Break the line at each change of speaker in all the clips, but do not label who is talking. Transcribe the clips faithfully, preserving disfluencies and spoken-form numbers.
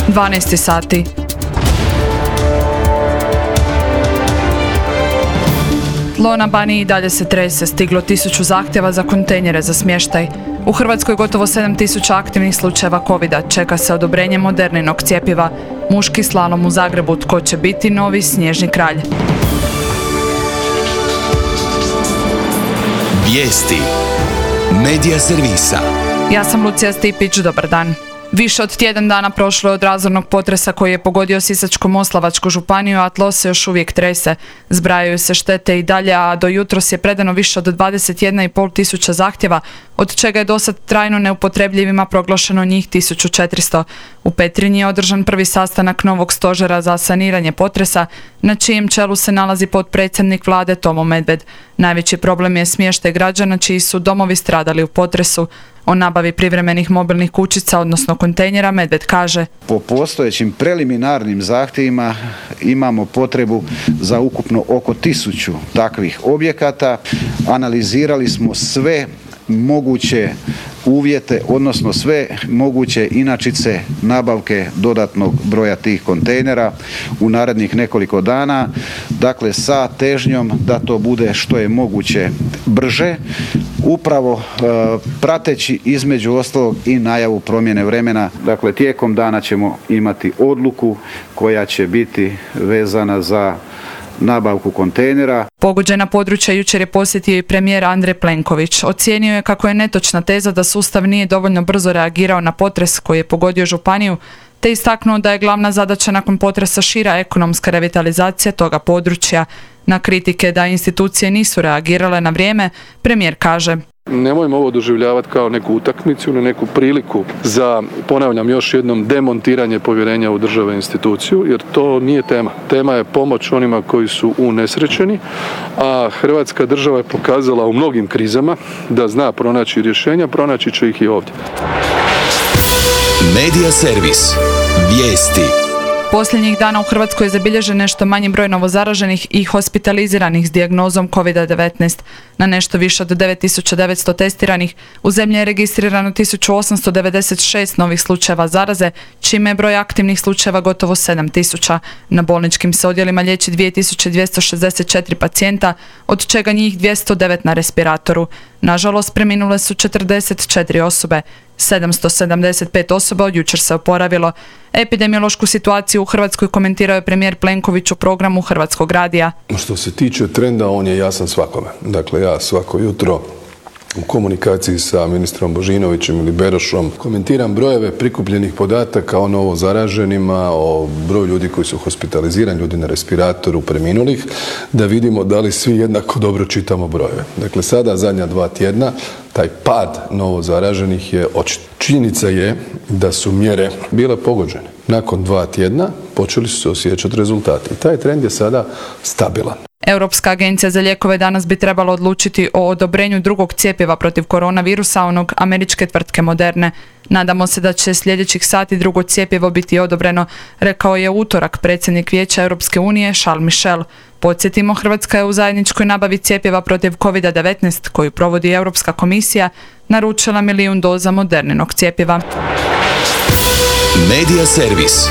dvanaest sati. Tlo na Baniji i dalje se trese, stiglo tisuću zahtjeva za kontejnere za smještaj. U Hrvatskoj gotovo sedam tisuća aktivnih slučajeva covida, čeka se odobrenje Moderninog cjepiva. Muški slalom u Zagrebu, tko će biti novi snježni kralj.
Vijesti Medija servisa.
Ja sam Lucija Stipić, dobar dan. Više od tjedan dana prošlo je od razornog potresa koji je pogodio Sisačko-moslavačku županiju, a tlo se još uvijek trese. Zbrajaju se štete i dalje, a do jutros je predano više od dvadeset jedna i pol tisuća zahtjeva, od čega je dosad trajno neupotrebljivima proglašeno njih tisuću četiristo. U Petrinji je održan prvi sastanak novog stožera za saniranje potresa, na čijem čelu se nalazi potpredsjednik vlade Tomo Medved. Najveći problem je smještaj građana čiji su domovi stradali u potresu. O nabavi privremenih mobilnih kućica, odnosno kontejnera, Medved kaže:
Po postojećim preliminarnim zahtjevima imamo potrebu za ukupno oko tisuću takvih objekata. Analizirali smo sve moguće uvjete, odnosno sve moguće inačice nabavke dodatnog broja tih kontejnera u narednih nekoliko dana. Dakle, sa težnjom da to bude što je moguće brže, upravo e, prateći između ostalog i najavu promjene vremena. Dakle, tijekom dana ćemo imati odluku koja će biti vezana za nabavku kontejnera.
Pogođena područja jučer je posjetio i premijer Andrej Plenković. Ocijenio je kako je netočna teza da sustav nije dovoljno brzo reagirao na potres koji je pogodio županiju, te istaknuo da je glavna zadaća nakon potresa šira ekonomska revitalizacija toga područja. Na kritike da institucije nisu reagirale na vrijeme, premijer kaže:
Nemojmo ovo doživljavati kao neku utakmicu ili neku priliku za, ponavljam još jednom, demontiranje povjerenja u države i instituciju, jer to nije tema. Tema je pomoć onima koji su unesrećeni, a Hrvatska država je pokazala u mnogim krizama da zna pronaći rješenja, pronaći će ih i ovdje.
Medija servis. Vijesti.
Posljednjih dana u Hrvatskoj je zabilježen nešto manji broj novozaraženih i hospitaliziranih s dijagnozom kovid devetnaest. Na nešto više od devet tisuća devetsto testiranih u zemlji je registrirano tisuću osamsto devedeset šest novih slučajeva zaraze, čime je broj aktivnih slučajeva gotovo sedam tisuća. Na bolničkim se odjelima liječi dvije tisuće dvjesto šezdeset četiri pacijenta, od čega njih dvjesto devet na respiratoru. Nažalost, preminule su četrdeset četiri osobe. sedamsto sedamdeset pet osoba od jučer se oporavilo. Epidemiološku situaciju u Hrvatskoj komentirao je premijer Plenković u programu Hrvatskog radija.
Što se tiče trenda, on je jasan svakome. Dakle, ja svako jutro u komunikaciji sa ministrom Božinovićem ili Berošom komentiram brojeve prikupljenih podataka o novo zaraženima, o broju ljudi koji su hospitalizirani, ljudi na respiratoru, preminulih, da vidimo da li svi jednako dobro čitamo brojeve. Dakle, sada zadnja dva tjedna taj pad novo zaraženih je očit. Činjenica je da su mjere bile pogođene. Nakon dva tjedna počeli su se osjećati rezultati. I taj trend je sada stabilan.
Europska agencija za lijekove danas bi trebala odlučiti o odobrenju drugog cjepiva protiv koronavirusa, onog američke tvrtke Moderne. Nadamo se da će sljedećih sati drugo cjepivo biti odobreno, rekao je u utorak predsjednik Vijeća Europske unije Charles Michel. Podsjetimo, Hrvatska je u zajedničkoj nabavi cjepiva protiv kovid devetnaest, koju provodi Europska komisija, naručila milijun doza Moderninog cjepiva.
Medija servis.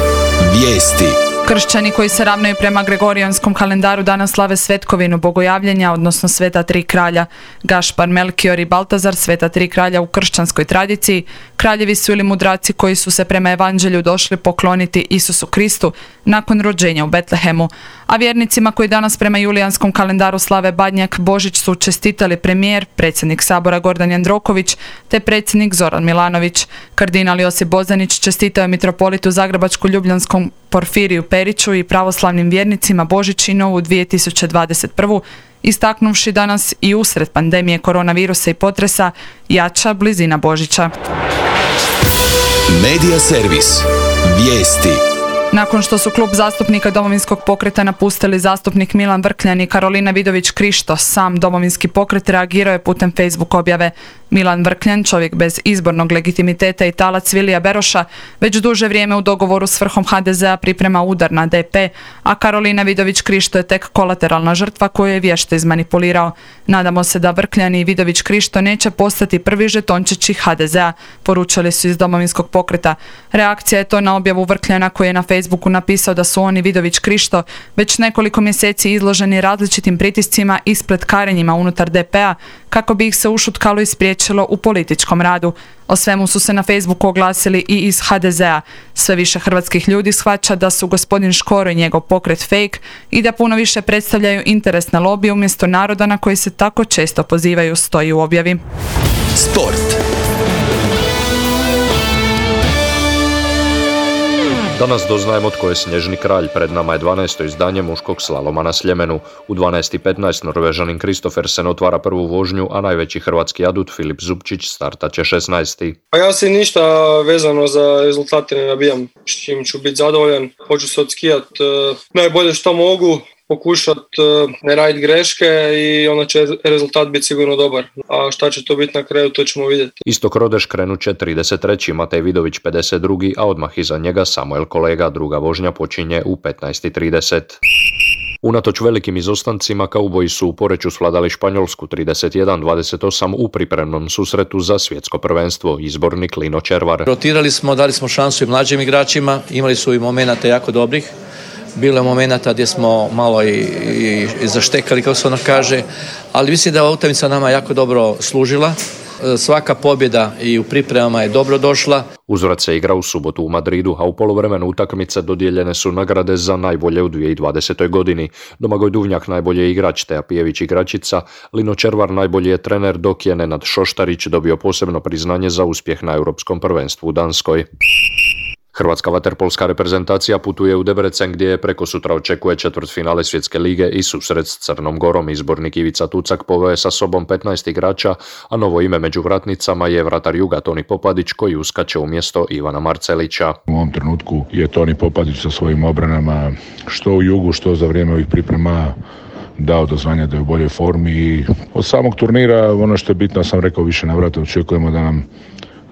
Vijesti.
Kršćani koji se ravnaju prema Gregorijanskom kalendaru danas slave svetkovinu bogojavljenja, odnosno sveta tri kralja. Gašpar, Melkior i Baltazar, sveta tri kralja u kršćanskoj tradiciji, kraljevi su ili mudraci koji su se prema evanđelju došli pokloniti Isusu Kristu nakon rođenja u Betlehemu. A vjernicima koji danas prema julijanskom kalendaru slave Badnjak, Božić su čestitali premijer, predsjednik Sabora Gordan Jandroković te predsjednik Zoran Milanović. Kardinal Josip Bozanić čestitao je mitropolitu Zagrebačko-Ljubljanskom Porfiriju Periću i pravoslavnim vjernicima Božić i Novu dvije tisuće dvadeset prvu, istaknuvši danas i usred pandemije koronavirusa i potresa jača blizina Božića.
Medija servis. Vijesti.
Nakon što su klub zastupnika Domovinskog pokreta napustili zastupnik Milan Vrkljan i Karolina Vidović Krišto, sam Domovinski pokret reagirao je putem Facebook objave. Milan Vrkljan, čovjek bez izbornog legitimiteta i talac Vilija Beroša, već duže vrijeme u dogovoru s vrhom ha de zea priprema udar na de pe, a Karolina Vidović Krišto je tek kolateralna žrtva koju je vješto izmanipulirao. Nadamo se da Vrkljan i Vidović Krišto neće postati prvi žetončići ha de zea, poručili su iz Domovinskog pokreta. Reakcija je to na objavu Vrkljana koji je na Facebooku napisao da su oni Vidović Krišto već nekoliko mjeseci izloženi različitim pritiscima i spletkarenjima unutar de pea kako bi ih se ušutkalo i spriječilo u političkom radu. O svemu su se na Facebooku oglasili i iz ha de zea. Sve više hrvatskih ljudi shvaća da su gospodin Škoro i njegov pokret fake i da puno više predstavljaju interesne lobije umjesto naroda na koji se tako često pozivaju, stoji u objavi.
Sport.
Danas doznajemo tko je snježni kralj. Pred nama je dvanaesto izdanje muškog slaloma na Sljemenu. U dvanaest i petnaest Norvežanin Kristoffersen otvara prvu vožnju, a najveći hrvatski adut Filip Zupčić startat će šesnaesti.
Pa ja se ništa vezano za rezultate ne nabijam, s čim ću biti zadovoljan. Hoću se odskijat uh, najbolje što mogu, pokušat uh, ne raditi greške i onda će rezultat biti sigurno dobar. A šta će to biti na kraju, to ćemo vidjeti.
Istok Rodeš krenut će trideset treći Matej Vidović pedeset drugi a odmah iza njega Samuel Kolega. Druga vožnja počinje u petnaest i trideset. Unatoč velikim izostancima, kauboji su u Poreču svladali Španjolsku trideset jedan dvadeset osam u pripremnom susretu za svjetsko prvenstvo. Izbornik Lino Červar.
Rotirali smo, dali smo šansu i mlađim igračima, imali su i momenata jako dobrih. Bilo je momenata gdje smo malo i, i, i zaštekali, kako se ono kaže, ali mislim da je ova utakmica nama jako dobro služila. Svaka pobjeda i u pripremama je dobro došla.
Uzvrat se igra u subotu u Madridu, a u poluvremenu utakmice dodijeljene su nagrade za najbolje u dvije tisuće dvadesetoj godini. Domagoj Duvnjak najbolji je igrač, Teja Pijević igračica, Lino Červar najbolji je trener, dok je Nenad Šoštarić dobio posebno priznanje za uspjeh na Europskom prvenstvu u Danskoj. Hrvatska vaterpolska reprezentacija putuje u Debrecen gdje je prekosutra očekuje četvrtfinale Svjetske lige i susret s Crnom Gorom. Izbornik Ivica Tucak poveo je sa sobom petnaest igrača, a novo ime među vratnicama je vratar Juga Toni Popadić koji uskače umjesto Ivana Marcelića.
U ovom trenutku je Toni Popadić sa svojim obranama što u Jugu, što za vrijeme ovih priprema dao do zvanja da je u boljoj formi i od samog turnira ono što je bitno, sam rekao više navrata, očekujemo da nam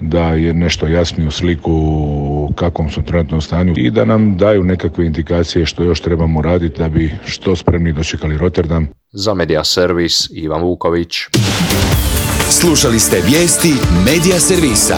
da je nešto jasniju sliku u kakvom su trenutno stanju i da nam daju nekakve indikacije što još trebamo raditi da bi što spremni dočekali Rotterdam.
Za Media Servis Ivan Vuković.
Slušali ste vijesti Media Servisa.